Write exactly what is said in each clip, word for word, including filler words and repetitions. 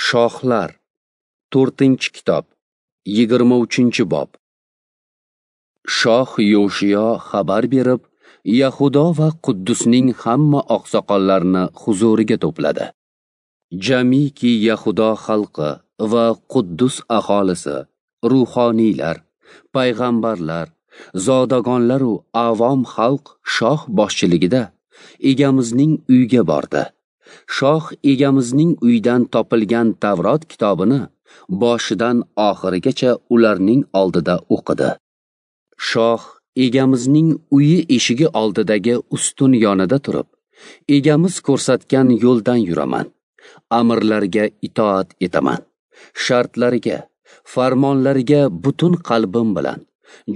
Shohlar, to'rtinchi kitob, yigirma uchinchi bob. Shoh Yoshiyo xabar berib, Yahudo va Quddusning hamma oqsoqollarini huzuriga to'pladi. Jamiki Yahudo xalqi va Quddus aholisi, ruhoniylar, payg'ambarlar, zodagonlar u avom xalq shoh boshchiligida egamizning uyiga bordi. Shoh egamizning uyidan topilgan Tavrot kitobini boshidan oxirigacha ularning oldida o'qidi. Shoh egamizning uyi eshigi oldidagi ustun yonida turib, egamiz ko'rsatgan yo'ldan yuraman, amirlarga itoat etaman, shartlariga, farmonlariga butun qalbim bilan,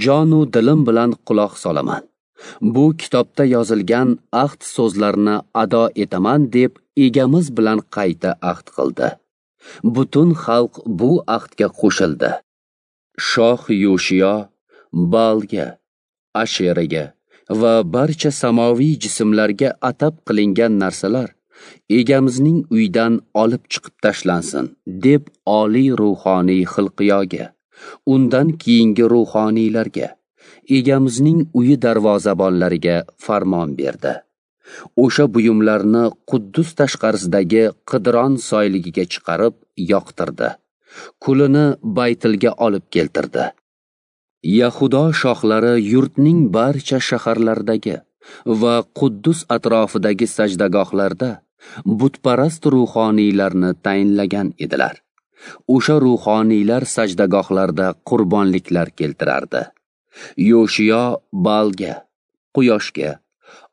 jonu dilim bilan quloq solaman. Bu kitobda yozilgan ahd so'zlarini ado etaman deb egamiz bilan qayta ahd qildi. Butun xalq bu ahdga qo'shildi. Shoh Yoshiyo Baalga, Asheraga va barcha samoviy jismlarga atab qilingan narsalar egamizning uyidan olib chiqib tashlansin deb oliy ruhoniy Xilqiyoga, undan keyingi ruhoniylarga, egamizning uyi darvozabonlariga farmon berdi. O'sha buyumlarni Quddus tashqarisidagi Qidron soyligiga chiqarib yoqtirdi. Kulini Baytilga olib keltirdi. Yahudo shohlari yurtning barcha shaharlaridagi va Quddus atrofidagi sajdagohlarda butparast ruhoniylarni tayinlagan edilar. O'sha ruhoniylar sajdagohlarda qurbonliklar keltirardi. Yoshiyo Baalga, quyoshga,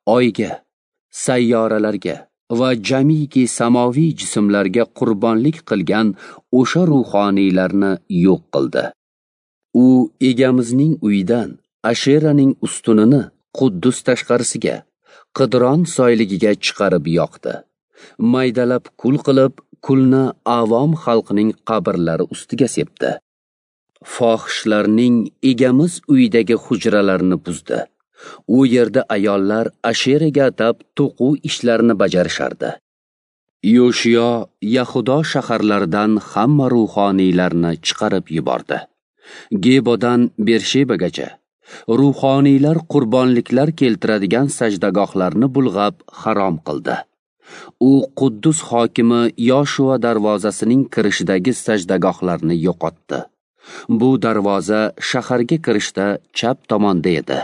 oyga, sayyoralarga va jamiki samoviy jismlarga qurbonlik qilgan o'sha ruhoniylarni yo'q qildi. U egamizning uyidan Asheraning ustunini Quddus tashqarisiga, Qidron soyligiga chiqarib yoqdi. Maydalab kul qilib, kulni avom xalqining qabrlari ustiga sepdi. Fohishlarning egamiz uyidagi hujralarini buzdi. U yerda ayollar Asheraga atab to'quv ishlarini bajarishardi. Yoshiyo Yahudo shaharlaridan hamma ruhoniylarni chiqarib yubordi. Gebodan Bershebagacha ruhoniylar qurbonliklar keltiradigan sajdagohlarni bulg'ab harom qildi. U Quddus hokimi Yoshua darvozasining kirishidagi sajdagohlarni yo'qotdi. Bu darvoza shaharga kirishda chap tomonda edi.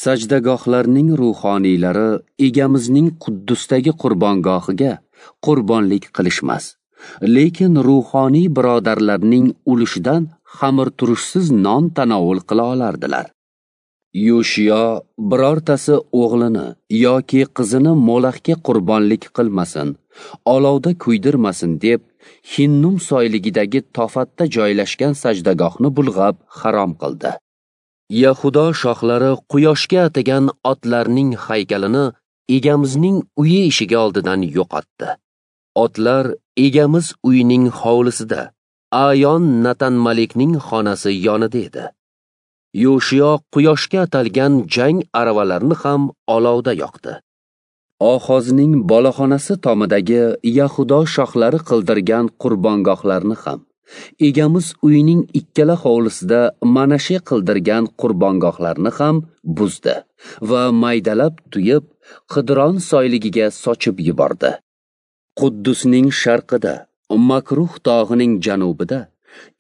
Sajdagohlarning ruhoniylari egamizning Quddusdagi qurbongohiga qurbonlik qilishmas, lekin ruhoniy birodarlarning ulushidan xamirturushsiz non tanovul qila olardilar. Yoshiyo birortasi o'g'lini yoki qizini Molaxga qurbonlik qilmasin, olovda kuydirmasin deb Hinnum soyligidagi Tofatda joylashgan sajdagohni bulg'ab harom qildi. Yahudo shohlari quyoshga atagan otlarning haykalini egamizning uyi eshigi oldidan yo'qotdi. Otlar egamiz uyining hovlisida, Ayon Natan Malikning xonasi yonida edi. Yoshiyo quyoshga atalgan jang aravalarini ham olovda yoqdi. Ohozning boloxonasi tomidagi Yahudo shohlari qildirgan qurbongohlarni ham, egamiz uyining ikkala hovlisida Manashe qildirgan qurbongohlarni ham buzdi va maydalab tuyib, Qidron soyligiga sochib yubordi. Quddusning sharqida, Makruh tog'ining janubida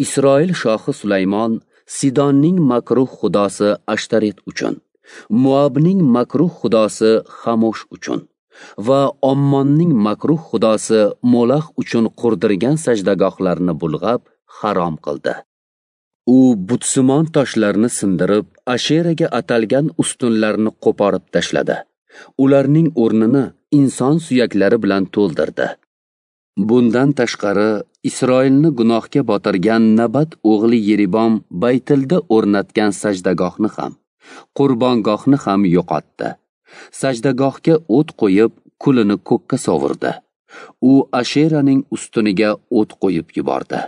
Isroil shohi Sulaymon Sidonning makruh xudosi Ashtaret uchun, Muabning makruh xudosi Xamosh uchun va Ommonning makruh xudosi Molax uchun qurdirgan sajdagohlarni bulg'ab harom qildi. U butsimon toshlarni sindirib, Asheraga atalgan ustunlarni qo'porib tashladi. Ularning o'rnini inson suyaklari bilan to'ldirdi. Bundan tashqari, Isroilni gunohga botirgan Nabat o'g'li Yeribom Baytilda o'rnatgan sajdagohni ham, qurbongohni ham yo'qotdi. Sajdagohga o't qo'yib, kulini ko'kka sovurdi. U Asheraning ustuniga o't qo'yib yubordi.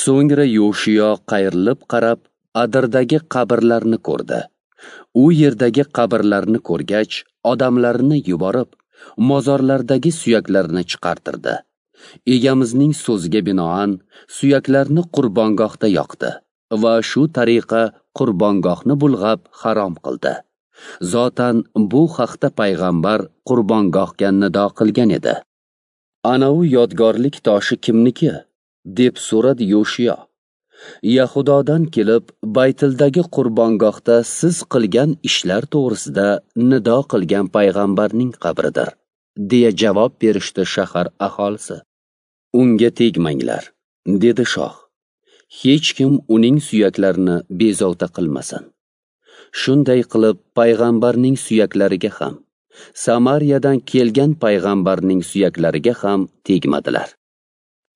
So'ngra Yoshiyo qayrilib qarab, Adirdagi qabrlarni ko'rdi. U yerdagi qabrlarni ko'rgach, odamlarni yuborib, mozorlardagi suyaklarni chiqartirdi. Egamizning so'ziga binoan suyaklarni qurbongohda yoqdi va shu tariqa qurbongohni bulg'ab harom qildi. Zotan bu haqda payg'ambar qurbongohga nido qilgan edi. Ana u yodgorlik toshi kimniki? Deb so'radi Yoshiyo. Yahudodan kelib Baytildagi qurbongohda siz qilgan ishlar to'g'risida nido qilgan payg'ambarning qabridir, deya javob berishdi shahar aholisi. Unga tegmanglar, dedi shoh. Hech kim uning suyaklarini bezovta qilmasin. Shunday qilib payg'ambarning suyaklariga ham, Samariyadan kelgan payg'ambarning suyaklariga ham tegmadilar.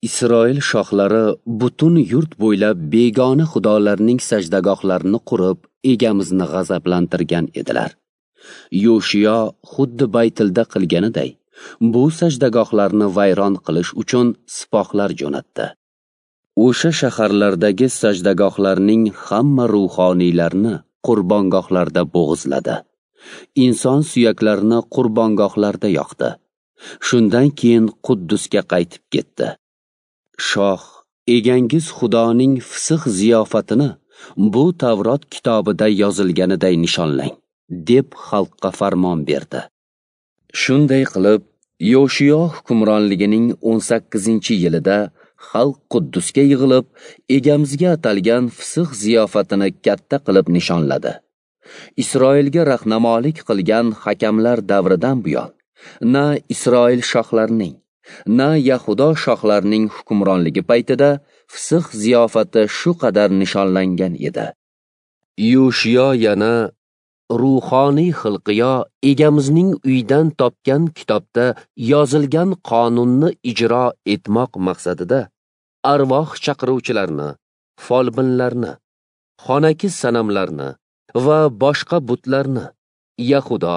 Isroil shohlari butun yurt bo'ylab begona xudolarning sajdagohlarini qurib, egamizni g'azablantirgan edilar. Yoshiyo xuddi Baytilda qilganiday, bu sajdagohlarni vayron qilish uchun sipohlar jo'natdi. O'sha shaharlardagi sajdagohlarning hamma ruhoniylarini qurbongohlarda bo'g'izladi. Inson suyaklarini qurbongohlarda yoqdi. Shundan keyin Quddusga qaytib ketdi. Shoh, egangiz Xudoning fisih ziyofatini bu Tavrot kitobida yozilganiday nishonlang, deb xalqqa farmon berdi. Shunday qilib, Yoshiyo hukmronligining o'n sakkizinchi yilida xalq Quddusga yig'ilib, egamizga atalgan fisih ziyofatini katta qilib nishonladi. Isroilga rahnamolik qilgan hakamlar davridan buyon na Isroil shohlarining, na Yahudo shohlarining hukmronligi paytida fisih ziyofati shu qadar nishonlangan edi. Yoshiyo yana ruhoniy Xilqiyo egamizning uyidan topgan kitobda yozilgan qonunni ijro etmoq maqsadida arvoh chaqiruvchilarni, folbinlarni, xonaki sanamlarni va boshqa butlarni Yahudo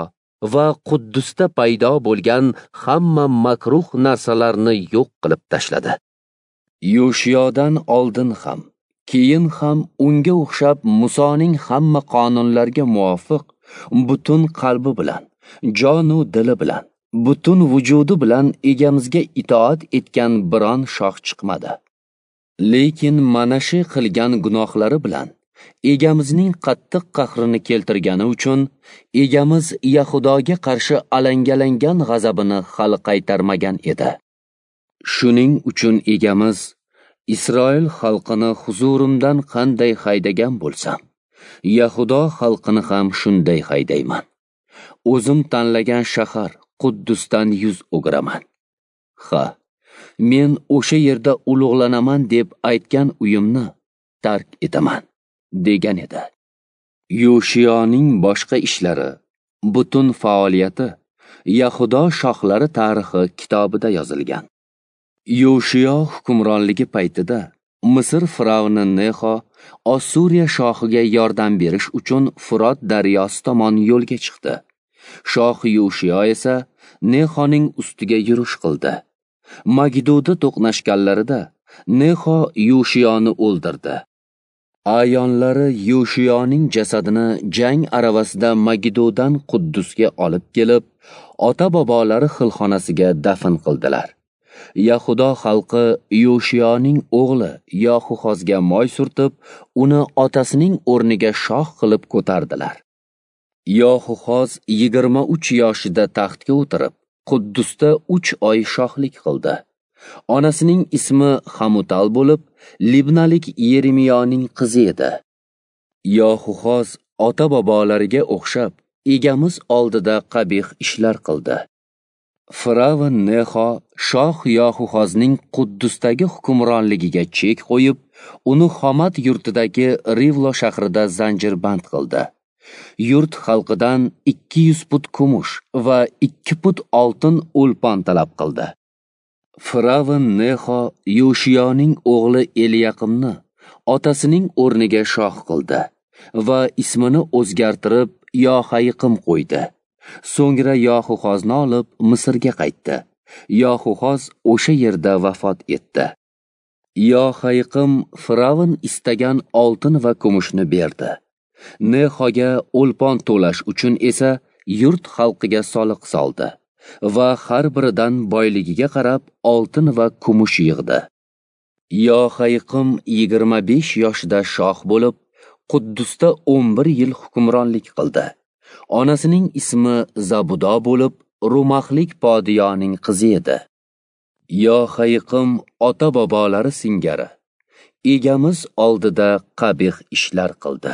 va Quddusda paydo bo'lgan hamma makruh narsalarni yo'q qilib tashladi. Yoshiyodan oldin ham, keyin ham unga o'xshab Musoning hamma qonunlarga muvofiq butun qalbi bilan, jonu dili bilan, butun vujudi bilan egamizga itoat etgan biron shoh chiqmadi. Lekin Manashe qilgan gunohlari bilan egamizning qattiq qahrini keltirgani uchun egamiz Yahudoga qarshi alangalangan g'azabini hali qaytarmagan edi. Shuning uchun egamiz Isroil xalqini huzurimdan qanday haydagan bo'lsam, Yahudo xalqini ham shunday haydayman. O'zim tanlagan shahar Quddusdan yuz o'giraman. Ha, men o'sha yerda ulug'lanaman deb aytgan uyimni tark etaman, degan edi. Yoshiyoning boshqa ishlari, butun faoliyati Yahudo shohlari tarixi kitobida yozilgan. Yoshiyo hukmronligi paytida Misr firavni Nexo Ossuriya shohiga yordam berish uchun Furot daryosi tomon yo'lga chiqdi. Shoh Yoshiyo esa Nexoning ustiga yurish qildi. Magiddoda to'qnashganlarida Nexo Yoshiyoni o'ldirdi. Ayonlari Yoshiyoning jasadini jang aravasida Magiddodan Quddusga olib kelib, ota-bobolari xilxonasiga dafn qildilar. Yahudo xalqi Yoshiyoning o'g'li Yoxuhozga moy surtib, uni otasining o'rniga shoh qilib ko'tardilar. Yoxuhoz yigirma uch yoshida taxtga o'tirib, Quddusda uch oy shohlik qildi. Onasining ismi Hamutal bo'lib, Libnalik Yeremiyoning qizi edi. Yoxuhoz ota-bobolariga o'xshab egamiz oldida qabih ishlar qildi. Firavn Nexo shoh Yoxuhozning Quddusdagi hukmronligiga chek qo'yib, uni Xomat yurtidagi Rivlo shahrida zanjirband qildi. Yurt xalqidan ikki yuz put kumush va ikki put oltin o'lpon talab qildi. Firavn Nexo Yoshiyoning o'g'li Eliyaqimni otasining o'rniga shoh qildi va ismini o'zgartirib Yohayiqim qo'ydi. So'ngra Yoxuhozni olib Misrga qaytdi. Yoxuhoz o'sha yerda vafot etdi. Yohayiqim Firavn istagan oltin va kumushni berdi. Nexoga o'lpon to'lash uchun esa yurt xalqiga soliq soldi. va har biridan boyligiga qarab oltin va kumush yig'di. Yohayiqim yigirma besh yoshida shoh bo'lib, Quddusda o'n bir yil hukmronlik qildi. Onasining ismi Zabudo bo'lib, Rumaxlik podiyoning qizi edi. Yohayiqim ota-bobolari singari Egamiz oldida qabih ishlar qildi.